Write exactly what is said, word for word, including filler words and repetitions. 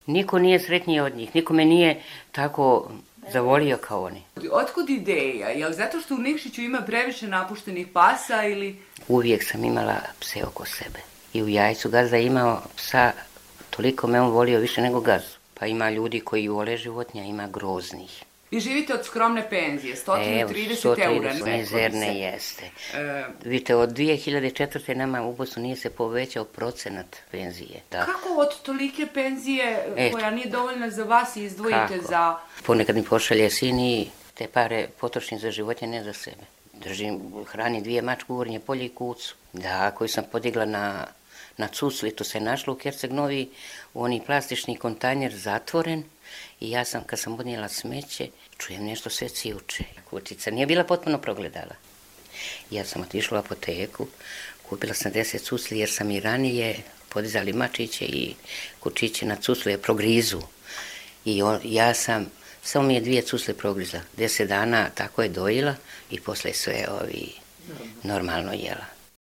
Niko nije sretniji od njih, niko me nije tako zavolio kao oni. Otkud ideja? Je li zato što u Nikšiću ima previše napuštenih pasa ili... Uvijek sam imala pse oko sebe. I u Jajcu gazda je imao psa, toliko me on volio više nego gazdu. Pa ima ljudi koji vole životinja, ima groznih. Vi živite od skromne penzije, sto trideset eura. Evo, mizerne jeste. E... Vidite, od dvije hiljade četvrte nama u Bosnu nije se povećao procenat penzije. Da. Kako od tolike penzije e, koja nije dovoljna za vas i izdvojite kako? Za... Ponekad mi pošalje sin i te pare potrošim za životinje, ne za sebe. Držim, hranim dvije mačke, Gornje polje i kucu. Da, koju sam podigla na, na Cucli, to se našlo u Herceg Novi, u oni plastični kontajner zatvoren. I ja sam, kad sam odnijela smeće, čujem nešto sve cijuče. Kućica nije bila potpuno progledala. Ja sam otišla u apoteku, kupila sam deset cucli jer sam i ranije podizali mačiće i kučiće na cuclu je progrizu. I on, ja sam, samo mi je dvije cucle progrizla. Deset dana tako je dojila i posle sve ovi normalno jela.